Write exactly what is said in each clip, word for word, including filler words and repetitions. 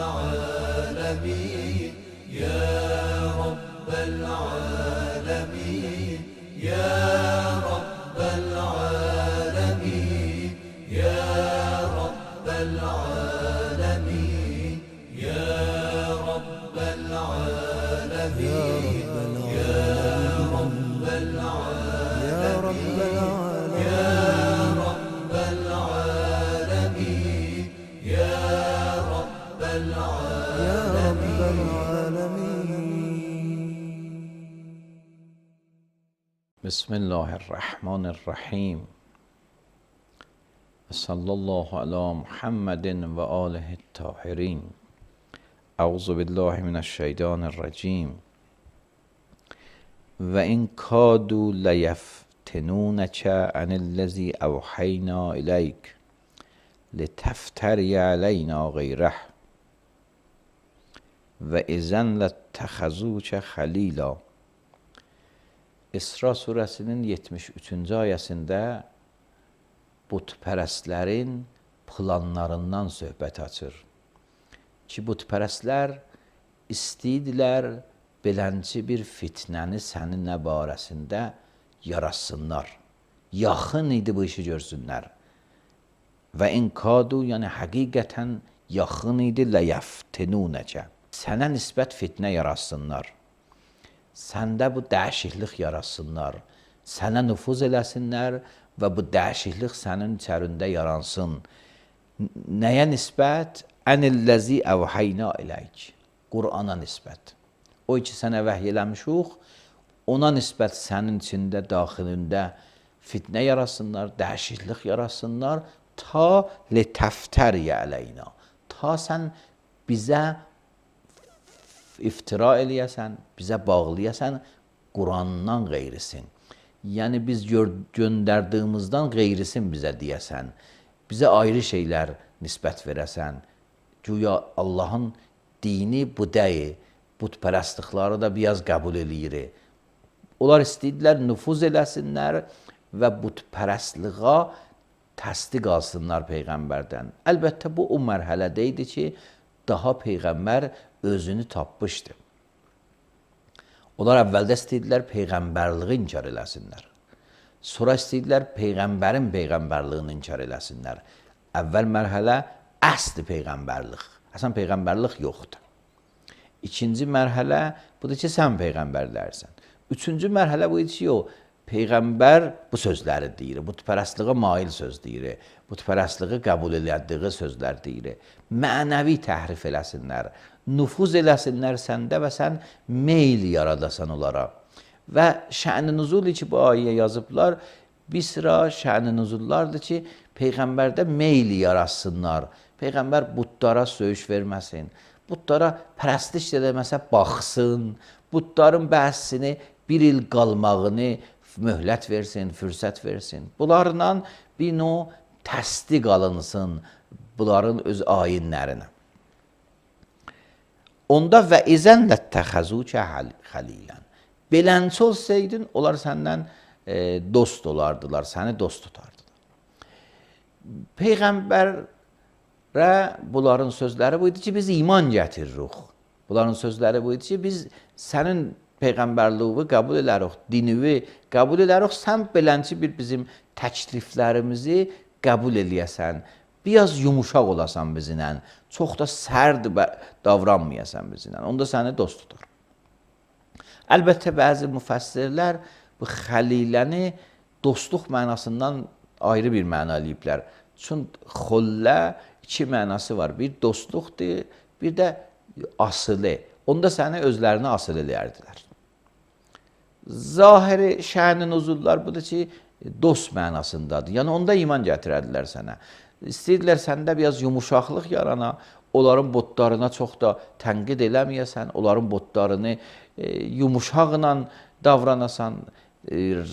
العالمين يا رب العالمين يا رب العالمين يا رب العالمين يا رب العالمين يا رب العالمين يا رب العالمين يا رب العالمين. بسم الله الرحمن الرحیم. صلی الله علی محمد و آله الطاهرین. اعوذ بالله من الشیطان الرجیم. و این کادوا لیفتنونک عن الذی اوحینا الیک لتفتری علینا غیره و اذا لاتخذوک خلیلا. İsra surəsinin yetmiş üçüncü ayəsində butpərəstlərin planlarından söhbət açır. Ki, butpərəstlər istəyidilər belənci bir fitnəni sənin nə barəsində yaratsınlar. Yaxın idi bu işi görsünlər. Və inkadu, yəni həqiqətən yaxın idi ləyəftinunəkə. Sənə nisbət fitnə yaratsınlar. Səndə bu dəyişiklik yaratsınlar. Sənə nüfuz eləsinlər və bu dəyişiklik sənin içərində yaransın. Nəyə nisbət? Ənilləzi əvhəyna eləyik. Qur'ana nisbət. O ki, sənə vəhy eləmişuq, ona nisbət sənin içində, daxilində fitnə yaratsınlar, dəyişiklik yaratsınlar, ta letəftəriyə ələyna. Ta sən bizə iftira eləyəsən, bizə bağlayasən, Qurandan qeyrisin. Yəni, biz göndərdiyimizdən qeyrisin bizə deyəsən. Bizə ayrı şeylər nisbət verəsən. Güya Allahın dini bu deyil. Butpərəstlikləri da biraz qəbul eləyir. Onlar istəyirlər, nüfuz eləsinlər və butpərəstliğa təsdiq alsınlar Peyğəmbərdən. Əlbəttə, bu o mərhələdə idi ki, daha Peyğəmbər özünü tapmışdı. Onlar əvvəldə istəyirlər Peyğəmbərliği inkar eləsinlər. Sonra istəyirlər Peyğəmbərin Peyğəmbərliğini inkar eləsinlər. Əvvəl mərhələ əsli Peyğəmbərlik. Əsən Peyğəmbərlik yoxdur. İkinci mərhələ budur ki, sən Peyğəmbərlərsən. Üçüncü mərhələ bu idi ki, o Peyğəmbər bu sözləri deyir, butpərəstliğə mail söz deyir, butpərəstliği qəbul elədiyi sözlər deyir. Mənəvi təhrif eləsinlər, nüfuz eləsinlər səndə və sən meyl yaradasan onlara. Və şə'n-i nüzul ki, bu ayəyə yazıblar, bir sıra şə'n-i nüzullardır ki, Peyğəmbərdə meyl yaratsınlar. Peyğəmbər butlara söyüş verməsin, butlara pərəstiş eləməsə baxsın, butların bəhsini bir il qalmağını möhlət versin, fürsət versin. Bunlarla bir növ təsdiq alınsın bunların öz ayinlərinə. Onda və izən ləttəxəzukə xəlilən. Belənçi olsaydın, onlar səndən e, dost olardılar, səni dost tutardılar. Peyğəmbərə bunların sözləri bu idi ki, biz iman gətiririk. Bunların sözləri bu idi ki, biz sənin Peyğəmbərliği qəbul elərik, dinivi qəbul elərik, sən belənçi bir bizim təkliflərimizi qəbul eləyəsən, biraz yumuşaq olasan bizlə, çox da sərd davranmayasan bizlə, onda səni dost tutar. Əlbəttə, bəzi müfəssirlər bu xəliləni dostluq mənasından ayrı bir məna eləyiblər. Çünki xollə iki mənası var, bir dostluqdur, bir də asılı. Onda səni özlərini asıl eləyərdilər. Zahiri şə'n-i nüzullar budur ki, dost mənasındadır. Yəni, onda iman gətirərdilər sənə. İstəyirlər səndə biraz yumuşaqlıq yarana, onların botlarına çox da tənqid eləməyəsən, onların botlarını e, yumuşaqla davranasan, e,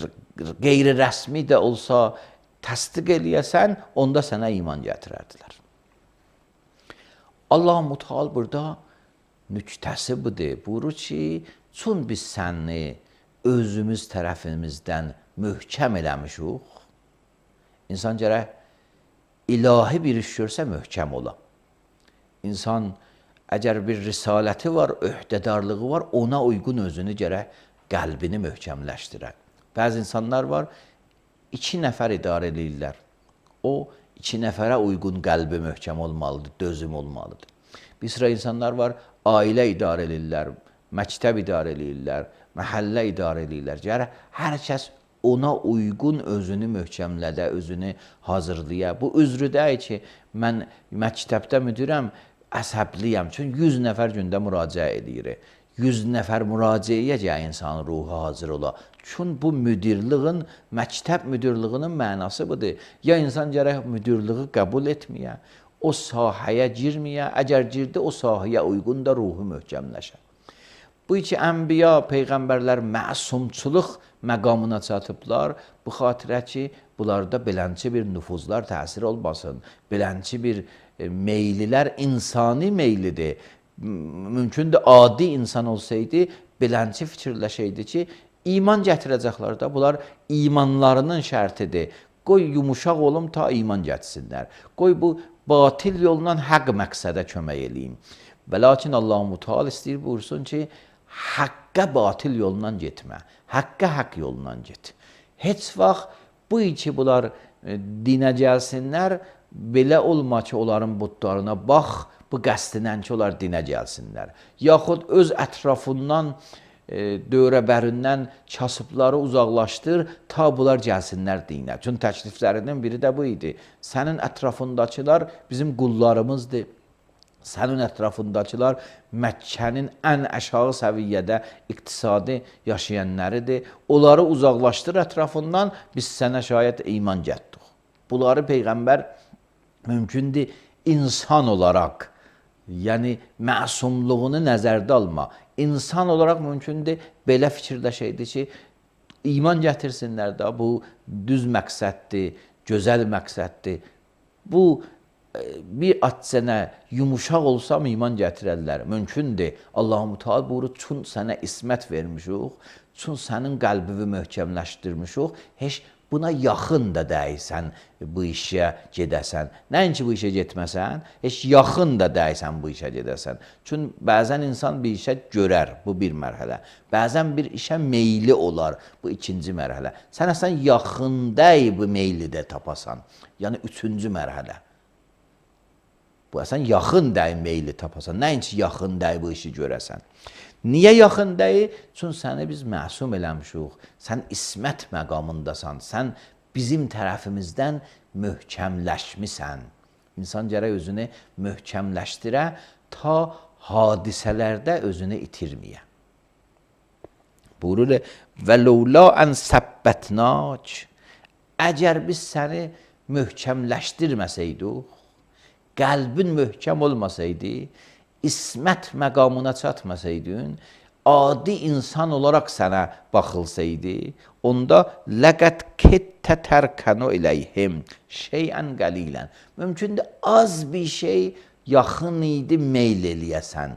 qeyri-rəsmi də olsa təsdiq eləyəsən, onda sənə iman gətirərdilər. Allah-u Müteal burada nüktəsi budur. Buyurur ki, çün biz səni özümüz tərəfimizdən möhkəm eləmişik, insan gərək ilahi bir iş görsə möhkəm ola. İnsan əgər bir risaləti var, öhdədarlığı var, ona uyğun özünü gərək qəlbini möhkəmləşdirər. Bəzi insanlar var, iki nəfər idarə edirlər. O, iki nəfərə uyğun qəlbi möhkəm olmalıdır, dözüm olmalıdır. Bir sıra insanlar var, ailə idarə edirlər, məktəb idarə edirlər, məhəllə idarə edirlər. Gərək hər kəs ona uyğun özünü möhkəmlədə, özünü hazırlaya. Bu üzrü deyil ki, mən məktəbdə müdirəm, əsəbliyəm. Çünki yüz nəfər gündə müraciə edir. yüz nəfər müraciəyə gəl insanın ruhu hazır ola. Çünki bu müdirliğin, məktəb müdirliyinin mənası budur. Ya insan gərək müdirliği qəbul etməyə, o sahəyə girməyə, əgər girdi, o sahəyə uyğun da ruhu möhkəmləşər. Bu iki ənbiya, peyğəmbərlər məsumçuluq məqamına çatıblar. Bu xatirə ki, bunlarda belənçi bir nüfuzlar təsir olmasın. Belənçi bir e, meylilər insani meylidir. Mümkündür, adi insan olsaydı, belənçi fikirləşəydi ki, iman gətirəcəklər də. Bunlar imanlarının şərtidir. Qoy yumuşaq olum ta iman gətirsinlər. Qoy bu batil yolla haqq məqsədə kömək eləyim. Və lakin Allah-u Teala istəyir buyursun ki, haqqa batil yolla getmə, haqqa haqq yolla get. Heç vaxt bu iki bunlar e, dinə gəlsinlər, belə olma ki, onların butlarına bax, bu qəsdinən ki, onlar dinə gəlsinlər. Yaxud öz ətrafından, e, dövrəbərindən kasıbları uzaqlaşdır, ta bunlar gəlsinlər dinə. Çünki təkliflərinin biri də bu idi. Sənin ətrafındakılar bizim qullarımızdır. Sənin ətrafındakılar Məkkənin ən aşağı səviyyədə iqtisadi yaşayanlarıdır. Onları uzaqlaşdır ətrafından, biz sənə şayət iman gətirdik. Bunları Peyğəmbər mümkündür insan olaraq, yəni məsumluğunu nəzərdə alma. İnsan olaraq mümkündür belə fikirləşəydi ki, iman gətirsinlər də, bu düz məqsəddir, gözəl məqsəddir. Bu bir atçənə yumuşaq olsam iman gətirərlər. Mümkündür. Allah-u Teala buyurur, çün sənə ismət vermişik, çün sənin qəlbini möhkəmləşdirmişik, heç buna yaxın da deyilsən bu işə gedəsən. Nəinki bu işə getməsən, heç yaxın da deyilsən bu işə gedəsən. Çünki bəzən insan bir işə görər, bu bir mərhələ. Bəzən bir işə meyli olar, bu ikinci mərhələ. Sən əsən yaxın deyil bu meyli də tapasan. Yəni üçüncü mərhələ. Bu əsən yaxın deyil meyli tapasan. Nəinki yaxın deyil bu işi görəsən. Niyə yaxın deyil? Çünki səni biz məsum eləmişik. Sən ismət məqamındasan. Sən bizim tərəfimizdən möhkəmləşmisən. İnsan gərək özünü möhkəmləşdirə, ta hadisələrdə özünü itirməyə. Buyurur, və ləula ən səbbətnək, əgər biz səni möhkəmləşdirməsəydik, qəlbin möhkəm olmasaydı, ismət məqamına çatmasaydın, adi insan olaraq sənə baxılsaydı, onda ləqət kettə tərkənu iləyhim şeyən qəlilən. Mümkündür, az bir şey yaxın idi meyl eləyəsən.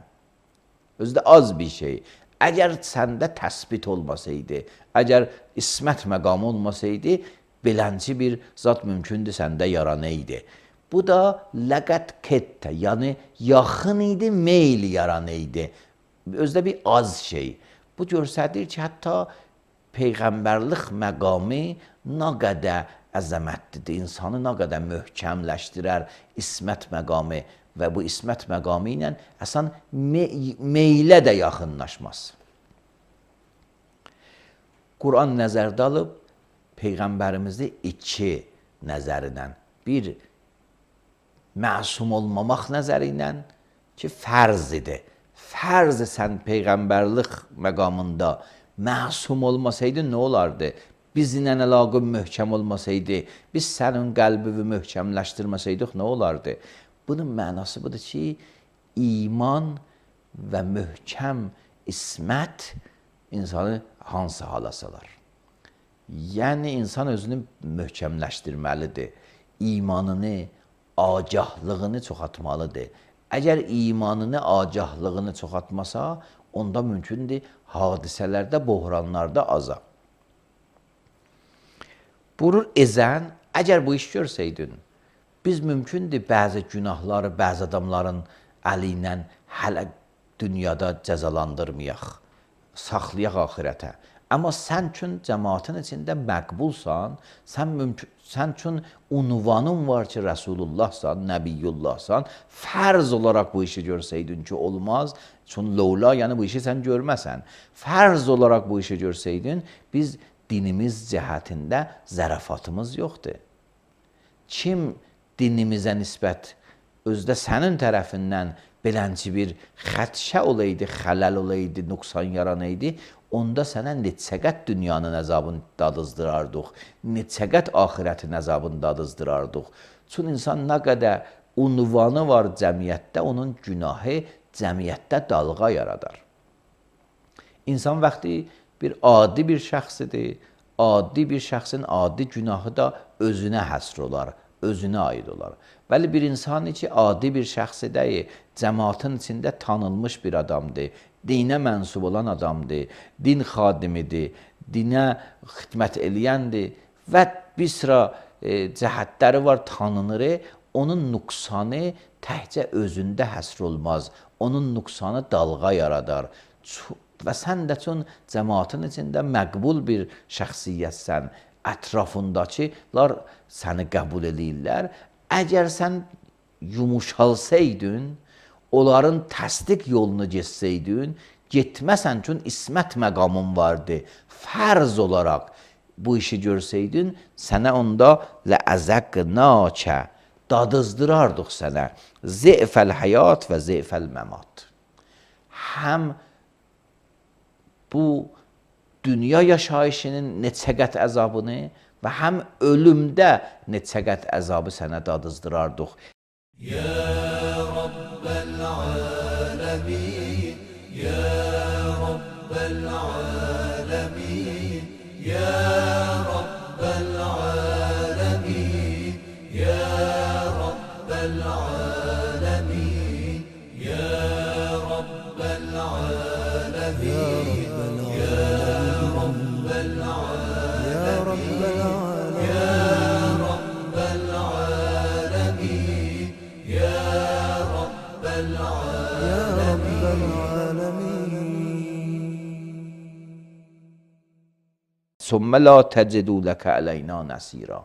Özdə az bir şey. Əgər səndə təsbit olmasaydı, əgər ismət məqamı olmasaydı, belənci bir zat mümkündür səndə yaranaydı. Bu da ləqət kettə, yəni yaxın idi, meyl yaranaydı. Özdə bir az şey. Bu göstərir ki, hətta Peyğəmbərlik məqamı nə qədər əzəmətlidir, insanı nə qədər möhkəmləşdirər ismət məqamı və bu ismət məqamı ilə əsən meylə də yaxınlaşmaz. Quran nəzərdə alıb, Peyğəmbərimizi iki nəzərindən, bir məsum olmamaq nəzəri ilə ki, fərz idi. Fərz sən Peyğəmbərlik məqamında məsum olmasaydı nə olardı? Bizlə əlaqın möhkəm olmasaydı, biz sənin qəlbini möhkəmləşdirməsəydik nə olardı? Bunun mənası budur ki, iman və möhkəm ismət insanı hansı hala salar? Yəni, insan özünü möhkəmləşdirməlidir. İmanını, agahlığını çoxaltmalıdır. Əgər imanını, agahlığını çoxaltmasa, onda mümkündür hadisələrdə, bohranlarda azam. Buyurur, ezən, əgər bu iş görsəydin, biz mümkündür bəzi günahları, bəzi adamların əli ilə hələ dünyada cəzalandırmayaq, saxlayaq axirətə. Amma sən üçün cəmaatın içində məqbulsan, sən mümkün, sən üçün unvanın var ki, Rəsulullahsan, Nəbiyyullahsan, fərz olaraq bu işi görsəydin ki, olmaz. Çünki lovla, yəni bu işi sən görməsən. Fərz olaraq bu işi görsəydin, biz dinimiz cəhətində zərafatımız yoxdur. Kim dinimizə nisbət özdə sənin tərəfindən belənci bir xədşə olaydı, xələl olaydı, nüqsan yaranaydı, onda sənə neçəqət dünyanın əzabını dadızdırardıq, neçəqət axirətin əzabını dadızdırardıq. Çünki insan nə qədər unvanı var cəmiyyətdə, onun günahı cəmiyyətdə dalğa yaradar. İnsan vaxtı bir adi bir şəxsidir, adi bir şəxsin adi günahı da özünə həsr olar, özünə aid olar. Bəli, bir insan ki, adi bir şəxsi deyil, cəmaatın içində tanınmış bir adamdır, dinə mənsub olan adamdır, din xadimidir, dinə xidmət eləyəndir və bir sıra e, cəhətləri var, tanınır. Onun nüqsanı təhcə özündə həsr olmaz, onun nüqsanı dalğa yaradar. Və sən də üçün cəmaatın içində məqbul bir şəxsiyyətsən, ətrafındakılar səni qəbul edirlər. Əgər sən yumuşalsaydın, onların təsdiq yolunu geçsəydin, getməsən üçün ismət məqamın vardı. Fərz olaraq bu işi görsəydin, sənə onda ləəzəqnəkə, dadızdırardıq sənə zəifəl həyat və zəifəl məmat. Həm bu dünya yaşayışının neçəqət əzabını və həm ölümdə neçəqət əzabı sənə dadızdırardıq. Ya Rabbel alemin, Ya Rabbel alemin, Ya Rabbel alemin, Ya Rabbel alemin, Ya Rabbel alemin, Ya Rabbel alemin, Ya Rabbel Sümmə la təcidu ləkə əleyna nəsira.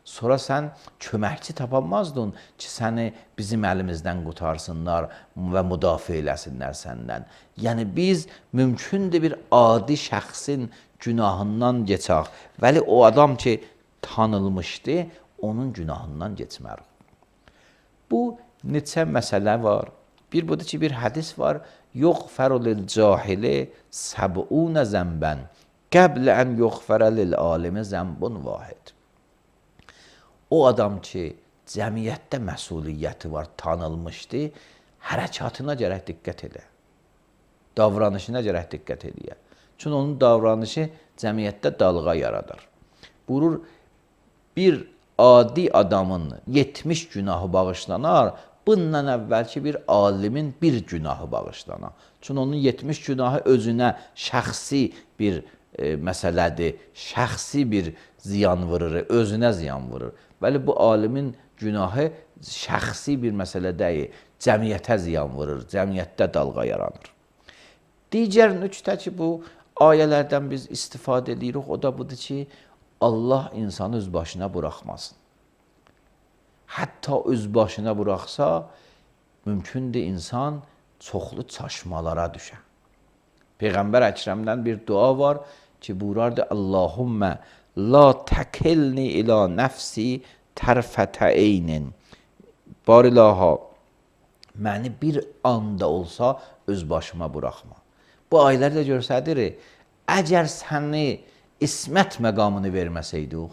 Sonra sən köməkçi tapamazdın ki, səni bizim əlimizdən qutarsınlar və müdafiə eləsinlər səndən. Yəni biz mümkündür bir adi şəxsin günahından geçək. Vəli o adam ki, tanınmışdı, onun günahından geçmərik. Bu neçə məsələ var. Bir budur ki, bir hədis var. Yuğfəru lil cahili səb'unə zəmbən qəblə ən yuğfərə lil alimi zəmbun vahid. O adam ki, cəmiyyətdə məsuliyyəti var, tanınmışdı, hərəkatına gərək diqqət edə. Davranışına gərək diqqət edə. Çünki onun davranışı cəmiyyətdə dalğa yaradar. Buyurur, bir adi adamın yetmiş günahı bağışlanar, bundan əvvəlki bir alimin bir günahı bağışlanar. Çünki onun yetmiş günahı özünə şəxsi bir e, məsələdir, şəxsi bir ziyan vurur, özünə ziyan vurur. Bəli, bu alimin günahı şəxsi bir məsələ deyil, cəmiyyətə ziyan vurur, cəmiyyətdə dalğa yaranır. Digər nüqtə ki, bu ayələrdən biz istifadə edirik, o da budur ki, Allah insanı öz başına buraxmasın. Hətta öz başına buraxsa, mümkündür insan çoxlu çaşmalara düşər. Peyğəmbər Əkrəmdən bir dua var ki, buyurardı, Allahümmə la təkilni ilə nəfsi tərfətə eynin. Barilaha, məni bir anda olsa öz başıma buraxma. Bu ayələrdə görsədir, əgər səni ismət məqamını verməsəydik,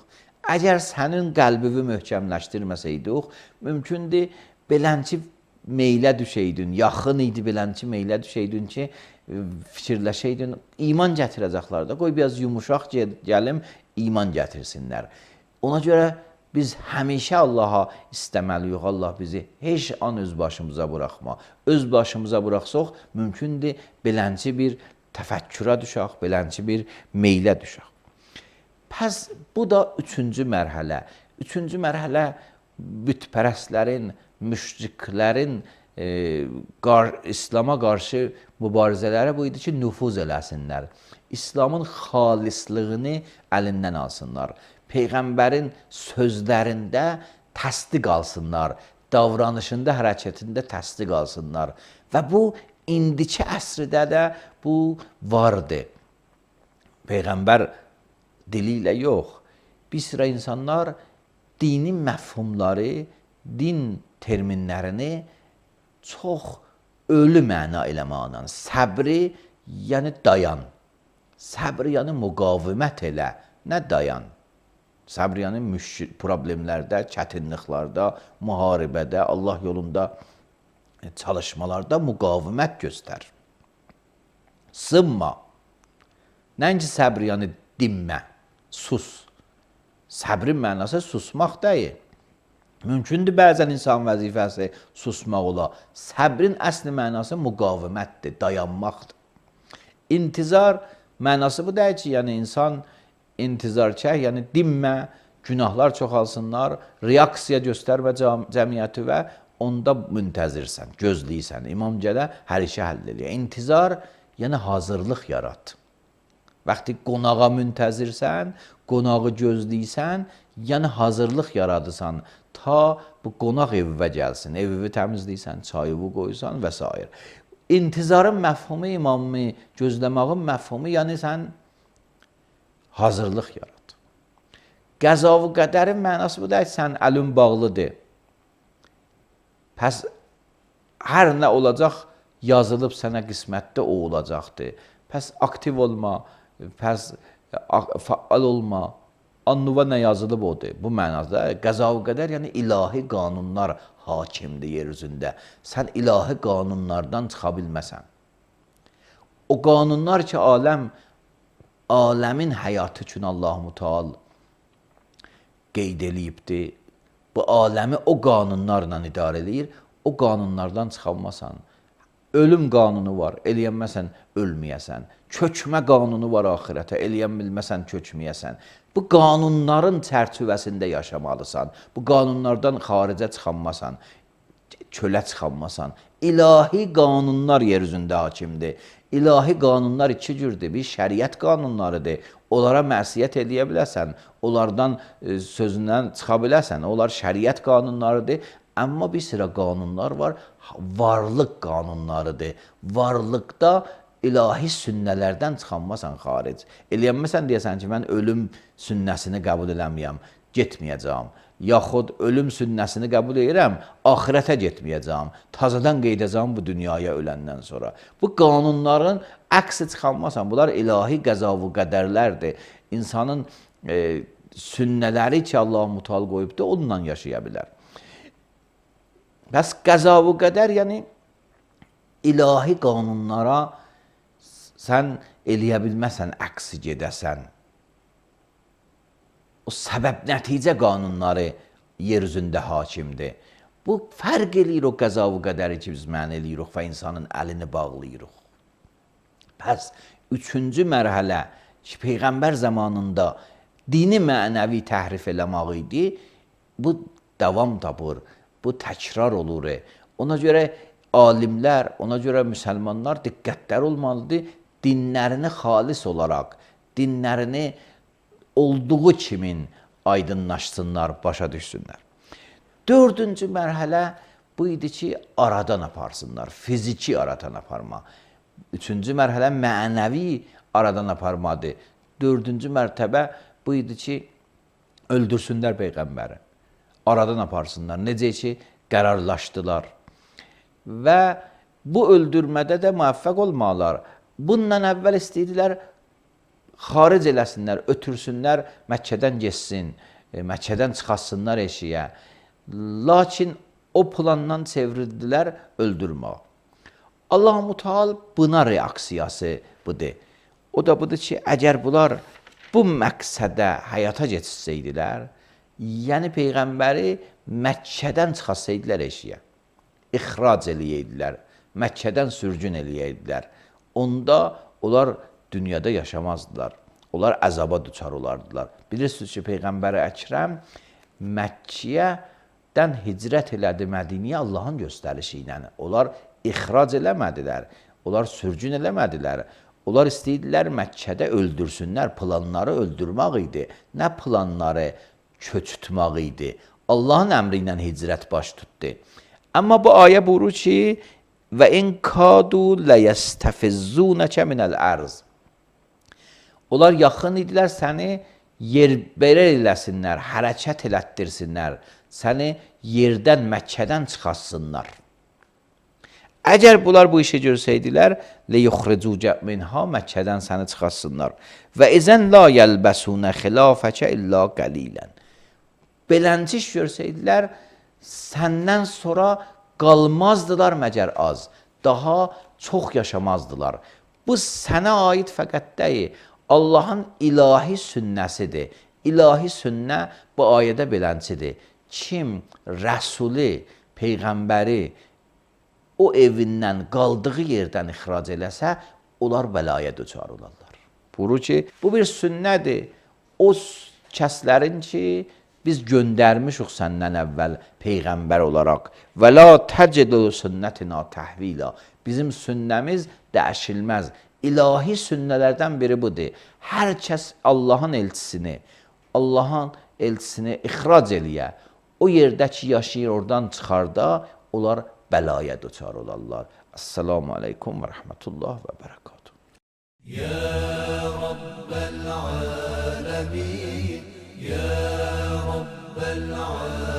əgər sənin qəlbini möhkəmləşdirməsəydik, mümkündür belənci meylə düşəydin, yaxın idi belənci meylə düşəydin ki, fikirləşəydin, iman gətirəcəklər də, qoy biraz yumuşaq gəlim, iman gətirsinlər. Ona görə biz həmişə Allaha istəməliyik, Allah bizi heç an öz başımıza buraxma. Öz başımıza buraxsaq, mümkündür belənci bir təfəkkürə düşək, belənci bir meylə düşək. Pəs bu da üçüncü mərhələ. Üçüncü mərhələ bütpərəstlərin, müşriklərin e, qar İslam'a qarşı mübarizələri bu idi ki, nüfuz eləsinlər. İslamın xalislığını əlindən alsınlar. Peyğəmbərin sözlərində təsdiq alsınlar, davranışında, hərəkətində təsdiq alsınlar. Və bu indiki əsrdə də bu vardı. Peyğəmbər dili ilə yox, bir sıra insanlar dinin məfhumları, din terminlərini çox ölü məna eləməklə, səbri, yəni dayan. Səbri, yəni müqavimət elə, nə dayan. Səbri, yəni problemlərdə, çətinliklərdə, müharibədə, Allah yolunda çalışmalarda müqavimət göstər. Sınma. Nəinki səbri, yəni dinmə, sus. Səbrin mənası susmaq deyil. Mümkündür bəzən insan vəzifəsi susmaq ola. Səbrin əsli mənası müqavimətdir, dayanmaqdır. İntizar mənası bu deyil ki, yəni insan intizarkar, yəni dinmə, günahlar çoxalsınlar, reaksiya göstərmə cəmiyyəti və onda müntəzirsən, gözləyirsən. İmam Gələ hər işi həll edir. İntizar, yəni hazırlıq yarat. Vaxtı qonağa müntəzirsən, qonağı gözləyirsən, yəni hazırlıq yaradırsan, ta bu qonaq evivə gəlsin, evivi təmizləyirsən, çayıvı qoysan və s. İntizarın məfhumu, imamı, gözləməğin məfhumu, yəni sən hazırlıq yarad. Qəza-və qədərin mənası bu deyil, sən əlin bağlıdır. Pəs, hər nə olacaq, yazılıb sənə qismətdə o olacaqdır. Pəs, aktiv olma, pəs, faal olma, annuva nə yazılıb odur. Bu mənada qəza-və qədər, yəni ilahi qanunlar hakimdir yer üzündə. Sən ilahi qanunlardan çıxa bilməsən. O qanunlar ki, aləm, aləmin həyatı üçün Allah-u Teala qeyd eləyibdir. Bu aləmi o qanunlarla idarə edir, o qanunlardan çıxanmasan. Ölüm qanunu var, eləyənməsən ölməyəsən. Köçmə qanunu var axirətə, eləyən bilməsən köçməyəsən. Bu qanunların çərçivəsində yaşamalısan. Bu qanunlardan xaricə çıxanmasan, çölə çıxanmasan. İlahi qanunlar yer üzündə hakimdir. İlahi qanunlar iki cürdür. Bir şəriət qanunlarıdır. Onlara məsiyyət eləyə biləsən, onlardan e, sözündən çıxa biləsən. Onlar şəriət qanunlarıdır. Amma bir sıra qanunlar var, varlıq qanunlarıdır. Varlıqda ilahi sünnələrdən çıxanmasan xaric. Eləyənməsən deyəsən ki, mən ölüm sünnəsini qəbul eləməyəm, getməyəcəm. Yaxud ölüm sünnəsini qəbul edirəm, axirətə getməyəcəm. Tazadan qeydəcəm bu dünyaya öləndən sonra. Bu qanunların əksi çıxanmasan, bunlar ilahi qəza-və qədərlərdir. İnsanın e, sünnələri ki, Allah-u Teala qoyubdur, onunla yaşaya bilər. Bəs qəza-və qədər, yəni ilahi qanunlara sən eləyə bilməsən, əksi gedəsən. O səbəb-nəticə qanunları yer üzündə hakimdir. Bu, fərq eləyir o qəza-və qədəri ki, biz mən eləyirik və insanın əlini bağlayırıq. Pəs, üçüncü mərhələ ki, Peyğəmbər zamanında dini mənəvi təhrif eləmək idi, bu davam tapır, bu təkrar olur. Ona görə alimlər, ona görə müsəlmanlar diqqətlər olmalıdır, dinlərini xalis olaraq, dinlərini olduğu kimin aydınlaşsınlar, başa düşsünlər. Dördüncü mərhələ bu idi ki, aradan aparsınlar, fiziki aradan aparma. Üçüncü mərhələ mənəvi aradan aparmadır. Dördüncü mərtəbə bu idi ki, öldürsünlər Peyğəmbəri. Aradan aparsınlar. Necə ki, qərarlaşdılar. Və bu öldürmədə də müvəffəq olmalılar. Bundan əvvəl istəyirdilər, xaric eləsinlər, ötürsünlər, Məkkədən geçsin, Məkkədən çıxasınlar eşiyə. Lakin o plandan çevirdilər öldürmək. Allah-u Teala buna reaksiyası budur. O da budur ki, əgər bunlar bu məqsədə həyata geçsəydilər, yəni Peyğəmbəri Məkkədən çıxasaydılar eşiyə, ixrac eləyəydilər, Məkkədən sürgün eləyəydilər. Onda onlar dünyada yaşamazdılar. Onlar əzaba düçar olardılar. Bilirsiniz ki, Peyğəmbər Əkrəm Məkkəyə Məkkədən hicrət elədi Mədinəyə Allahın göstərişi ilə. Onlar ixrac eləmədilər, onlar sürgün eləmədilər. Onlar istəyirdilər Məkkədə öldürsünlər, planları öldürmək idi. Nə planları? Köçütmək idi. Allahın əmri ilə hicrət baş tutdu. Amma bu ayə buyurur ki, və in kadu ləyəstəfizzunəkə minəl ərz. Onlar yaxın idilər səni yerbəra eləsinlər, hərəkət elətdirsinlər, səni yerdən, Məkkədən çıxartsınlar. Əgər bunlar bu işi görsəydilər, leyuxricucə minha, Məkkədən səni çıxartsınlar. Və izən la yəlbəsunə xilafəkə illa qəlilən. Belənciş görsəydilər, səndən sonra qalmazdılar məgər az, daha çox yaşamazdılar. Bu sənə aid fəqət deyil, Allahın ilahi sünnəsidir. İlahi sünnə bu ayədə beləncidir. Kim Rəsuli, Peyğəmbəri o evindən, qaldığı yerdən ixrac eləsə, onlar bəlaya düçar olarlar. Buyurur ki, bu bir sünnədir. O kəslərin ki, biz göndərmişik səndən əvvəl Peyğəmbər olaraq. Və la təcədu sünnətina təhvila. Bizim sünnəmiz dəyişilməz. İlahi sünnələrdən biri budur. Hər kəs Allahın elçisini, Allahın elçisini ixrac eləyə, o yerdə ki, yaşayır, oradan çıxarda, onlar bəlaya düçar olarlar. Assalamu aleykum və rəhmətullah və bərəkatuhu. Ya Rabbəl aləmin, Ya Rabbəl aləmin.